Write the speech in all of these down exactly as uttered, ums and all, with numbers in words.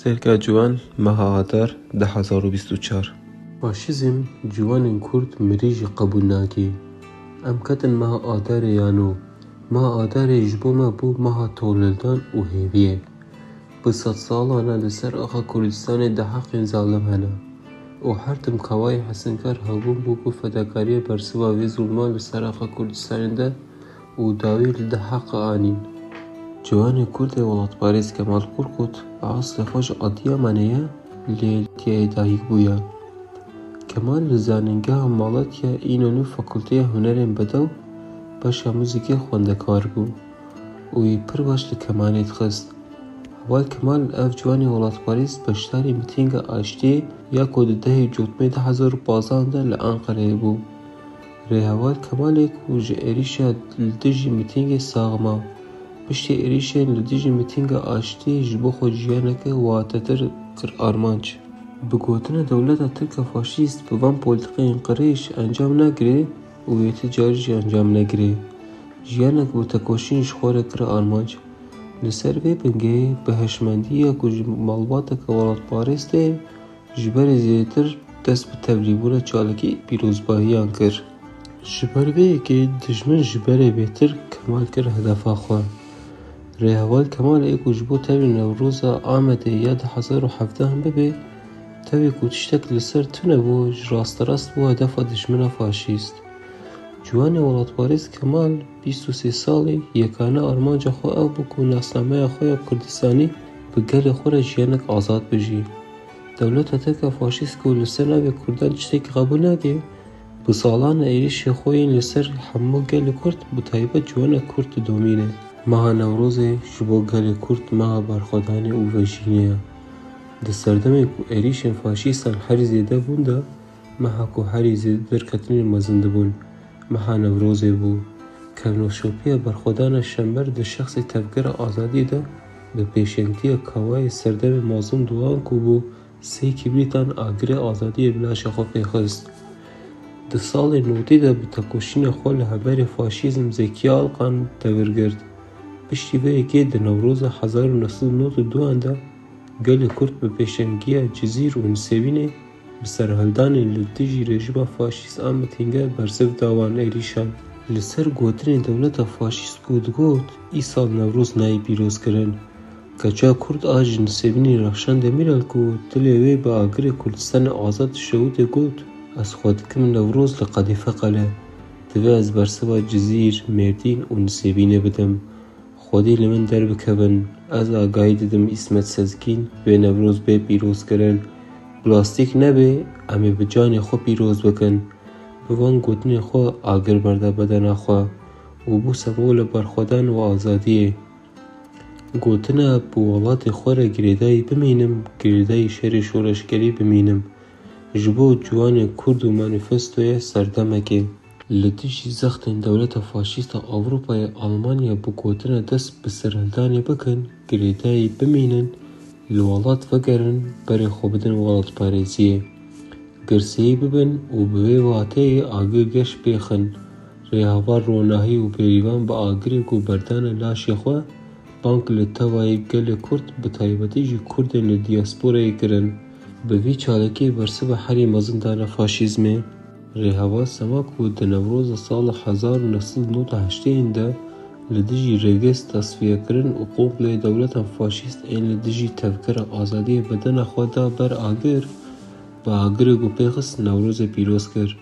Serka Ciwan, meha Adar du hezar û bîst û çar. Faşîzm ciwanên Kurd mirî jî qebûl nake. Em ketin meha Adarê ya nû. Meha Adarê ji bo me bû meha tolhildan û hêviyê. Bi sedsalan e li ser axa Kurdistanê di heqên zalim hene û her tim kawayê hesinkar hebûn bû ku fedakariya bersiva vê zulma li ser axa Kurdistanê de û dawî li di heqê anîn. Ciwanê Kurd ê welatparêz Kemal Qurqut bi eslê xwe ji Adiyamanê ye, lê li Tiyayê dayik bûye. Kemal li Zanîngeha Malatya Înonû Fakulteya Hunerên Bedew beşa muzîkê xwendekar bû û wî pir baş li kemanê dixist. Heval Kemal ev ciwanê welatparêz beşdarî mitînga aştiyê ya ku di dehê Cotmê du hezar û panzdeh de li Enqereyê bû. Rêheval Kemalê ku ji êrîşa li dijî mitîngê sax ma. Piştî êrîşên li dijî mitînga aştiyê ji bo xwe jiyaneke watetir kir armanc. Bi gotina dewleta Tirk a faşîst bi van polîtîkayên qirêj encam nagirê û yê ti carî jî encam negirê. Jiyanek bi tekoşîn ji xwe re kir armanc. Li ser vê bingehê bi hişmendiya ku ji malbateke welatparêz tê, ji berê zêdetir dest bi tevlîbûna çalakî pîrozbahiyan kir. Ji ber vê yekê dijmin ji berê bêtir Kemal kir hedefa xwe. Rêheval Kemal ê ku ji bo tevlî Newroza Amedê ya du hezar û hevdeh bibe, tevî ku tiştek li ser tune bû, ji rasterast bû hedefa dijmina faşîst. Ciwanê welatparêz Kemal, bîst û sê salî, yekane armanca xwe ew bû ku nasnameya xwe ya Kurdistanî bi gelê xwe re jiyanek azad bijî. Dewleta Tirk a faşîst ku li ser navê Kurdan tiştekî qebûl nake, bi salan e êrîşê xwe yên li ser hemû gelê Kurd, bi taybet ciwana Kurd didomîne. Meha Newrozê ji bo gelê Kurd meha berxwedanê û vejînê ye. Di serdemê ku êrîşên faşîstan herî zêde bûn de, meha ku herî zêde derketinên mezin dibûn, meha Newrozê bû. Kevnoşopiya berxwedana Şember di şexsê Tevgera Azadiyê de bi pêşengtiya kawayê serdemê Mazlûm Doğan ku bû sê kîbrîtan agirê azadiyê bi laşa xwe pêxist. Di salê notî de bi tekoşîna xwe li hemberî faşîzm Zekî Alkan tevir girt. Piştî vê yekê di Newroza hezar û neh sed û nod û duan de gelê Kurd bi pêşengiya Cizîr û Nisêbînê bi serhildanên li dijî rejîma faşîst a mitînge bersiv da wan êrîşan. Li ser gotinên dewleta faşîst ku digot, îsal Newroz nayê pîrozkirin. Keça Kurd a ji Nisêbînê Rexşan Demîrel ku dilê wê bi agirê Kurdistanê azad dişewitê got, ez xwe dikim Newroz li Qedîfe Qele. Divê ez bersiva Cizîr, Mêrdîn û Nisêbînê bidim. Xwedî li min derbikevin, ez agahî didim Îsmet Sezgîn vê Newroz bê pîrozkirin. Plastîk nebê, em ê bi canê xwe pîroz bikin. Bi van gotinên xwe agir berda bedena xwe û bû sembola berxwedan û azadiyê. Gotina bi welatê xwe re girêdayî bimînim, girêdayî şerê şoreşgerî bimînim. Ji bo ciwanê Kurd û manîfestoya serdemekê. Li dijî zextên dewleta faşîst a Ewropayê Almanya bi gotina dest bi serhildanê bikin, girêdayî bimînin, li welat vegerin, berê xwe bidin welatparêziyê. Girseyî bibin û bi vê wateyê agir geş bêxin. Rêheval Ronahî û Bêrîvan bi agirê ku berdane laşê xwe, bang li tevayî gelê Kurd, bi taybetî jî Kurdên li diyasporayê kirin. Bi vî çalakiyê bersiva herî mezin dane faşîzmê. Rêheval Sema ku di Newroza sala hezar û neh sed û nod û heştê de li dijî Rêgêz tesfiyekirin û kompleyê dewletan faşîst ên li dijî Tevgera Azadiyê bedena xwe da ber agir, bi agirê ku pêxist Newrozê pîroz kir.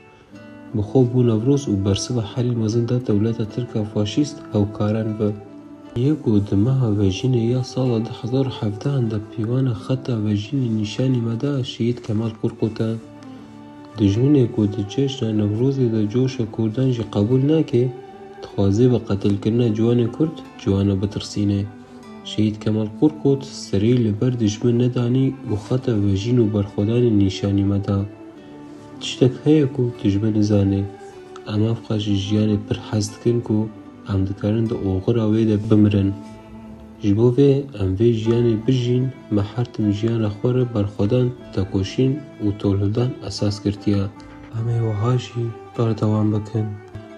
Bi xwe bû Newroz û bersiva herî mezin da dewleta Tirk a faşîst hewkaran ve. Yê ku di meha Vejînê ya sala du hezar û hevdeh de pîvana xeta Vejînê nîşanî me da Şehîd Kemal Qurqut e. Dijminê ku di cejna Newrozê de coşa Kurdan jî qebûl nake, dixwaze bi qetilkirina ciwanê Kurd, ciwana bitirsîne. Şehîd Kemal Qurqut serî li ber dijmin nedanî û xeta vejîn û berxwedanê nîşanî me da. Tiştek heye ku dijmin nizane. Em ev qas ji jiyanê pir hez dikin ku em dikarin di oxira wê de bimirin. Ji bo vê em vê jiyanê bijîn, me her tim jiyana xwe re berxwedan, tekoşîn û tolhildan esas girtiye. Em ê wiha jî berdewam bikin.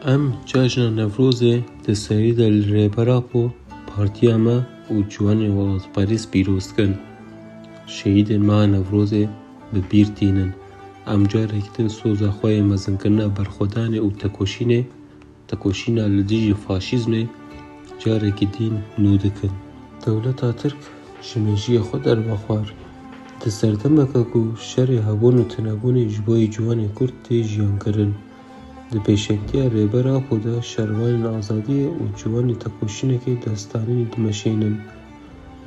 Em cejna Newrozê di serî de li Rêber Apo, partiya me û ciwanên welatparêz pîroz dikin. Şehîdên meha Newrozê bi bîr tînin. Em carek din soza xwe yê mezinkirina berxwedanê û tekoşînê, tekoşîna li dijî faşîzmê carekî din nû dikin. Dewleta Tirk ji mêjiyê xwe derbe xwar. Di serdemeke ku şerê hebûn û tunebûnê ji bo yê ciwanê Kurd tê jiyankirin, di pêşengtiya Rêber Apo de şervanên azadiyê û ciwanên tekoşînekê destanî dimeşînin.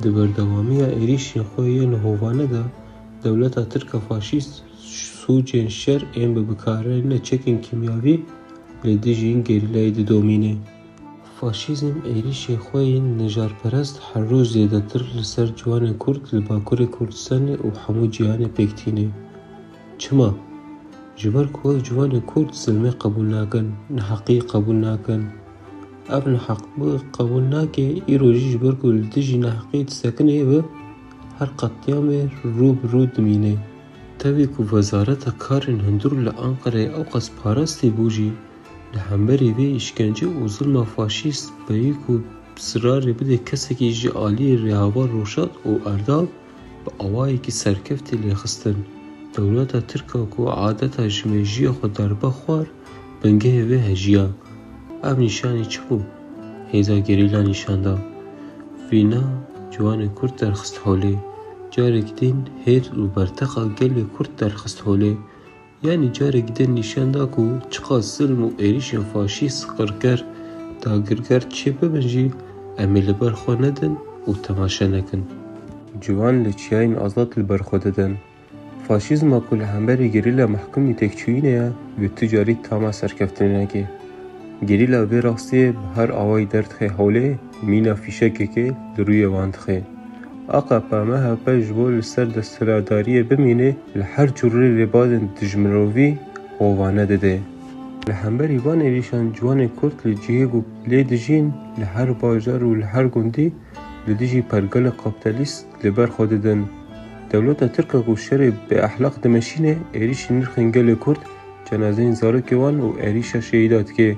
Di berdewamiya êrîşên xwe yên hovane de dewleta Tirk a faşîst sûcên şer ên bi bikaranîna çekên kîmyavî li dijî gerîlayê didomîne. Faşîzm êrîşên xwe yên nijarperest her roj zêdetir li ser ciwanên Kurd li Bakurê Kurdistanê û hemû cîhanê pêk tîne. Çima? Ji ber ku ev ciwanên Kurd zilmê qebûl nakin, neheqî qebûl nakin. Ev neheqbû qebûl nake, îro jî ji ber ku li dijî neheqî disekine bi her qetlîamê rû bi rû dimîne. Tevî ku Wezareta Karên Hundir li Anqereyê ewqas parastî bû jî, li hemberî vê îşkence û zilma faşîst bêyî ku zirarê bide kesekî ji aliyê rêheval Roşat û Erdal, bi awayekî serkeftî lêxistin. Dewleta Tirk a ku adeta ji mêjiyê xwe derbe xwar, bingehê vê hejî ya. Ev nîşanî çi bû? Hêza gerîla nîşan da. Vîna ciwanên Kurd derxist holê. Carek din hêz û berteqa gelê Kurd derxist holê. Yanî carek din nîşan da ku çiqas zilm û êrîşên faşîst, qirker, dagirker çê bibin jî, em ê li ber xwe nedin û temaşe nekin. Ciwan li çiyayên azad li ber xwe didin. Faşîzma ku li hemberî gerîla mehkumî têkçûyînê ye, wê tu carî tama serkeftinê neke. Gerîla vê rastiyê bi her awayî derdixe holê, mîna fîşekekê li rûyê wan dixe. A K P M H P ji bo li ser desthilatdariyê bimîne, li her cûrê rêbazên dijmirovî hovane dide. Li hemberî van êrîşan ciwanên Kurd li cihê ku lê dijîn, li her bajar û li her gundî li dijî pergalê kapîtalîst li ber xwe didin. Dewleta Tirk a ku şerê bêexlaq dimeşîne, êrîşî nirxên gelê Kurd, cenazeyên zarokê wan û êrîşa şehîda dike.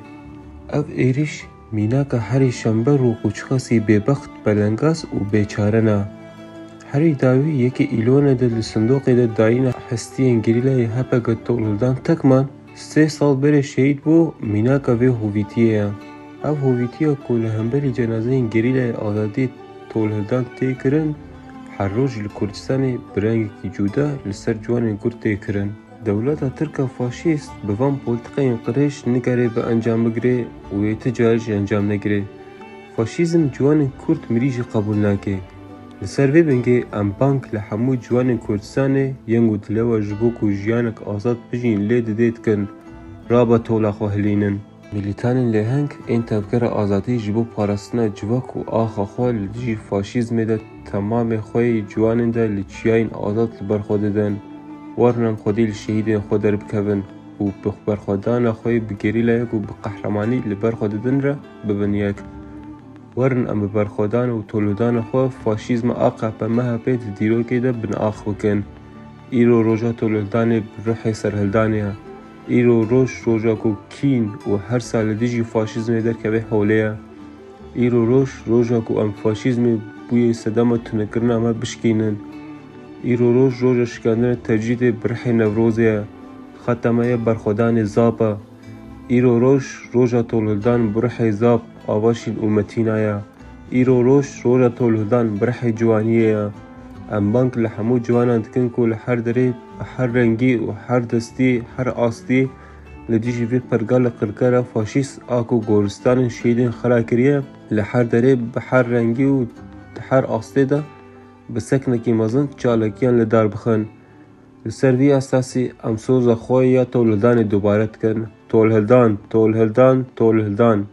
Ev êrîş mînaka herî şember û qûçxasî bêbext, belengaz û bêçare ne. Herî dawî yekê Îlonê de li sindoqê de dayîna hestiyên gerîlayê H P G Tolhildan Tekman, sê sal berê şehîd bû, mînaka vê hovîtiyê ye. Ev hovîtiya ku li hemberî cenazeyên gerîlayê azadiyê Tolhildan tê kirin, her roj li Kurdistanê bi rengekî cuda li ser ciwanên Kurd tê kirin. Dewleta Tirk a faşîst bi van polîtîkayên qirêj nikare bi encam bigire û yê ti carî jî encam negire. Faşîzm ciwanên Kurd mirî jî qebûl nake. Li ser vê bingê em bang li hemû ciwanên Kurdistanê yên ku dilewa ji bo ku jiyanek azad bijîn lê didê dikin, rabe tola xwe hilînin. Milîtanên lêheng ên tevgera azadî ji bo parastina civak û axa xwe li dijî faşîzmê de temamê xwe yê ciwanên de li çiyayên azad li ber xwe didin. Werin em xwedî li şehîdên xwe derbikevin û bi berxwedana xwe yê bi gerîlayek û bi qehremanî li ber xwe didin re bibin yek. Werin em bi berxwedan û tolhildana xwe faşîzma A K P M H P di dîrokê de binax bikin. Îro roja tolhildanê bi ruhê serhildanê ye. Îro roj roja ku kîn û hersa li dijî faşîzmê derkeve holê ye. Îro roj roja ku em faşîzmê bûyê sedema tunekirina me bişkînin. Îro roj roja şikandina tecrîdê bi ruhê Newrozê ye. Xeta me ye berxwedanê Zap e. Îro roj roja tolhildan bi ruhê Zap, Avaşîn û Metîna ye. Îro roj roja tolhildan bi ruhê ciwaniyê ye. Em bang li hemû ciwanan dikin ku li her derê, bi her rengî û her destî, her astî li dijî vê pergalê qirkera faşîst a ku goristanên şehîdên xira kiriye, li her derê, bi her rengî û di her astê de bi seknekî mezin çalakiyan li dar bixin. Li ser vî esasî em soza xwe ya tolhildanê dubare dikin. Tolhildan, tolhildan, tolhildan.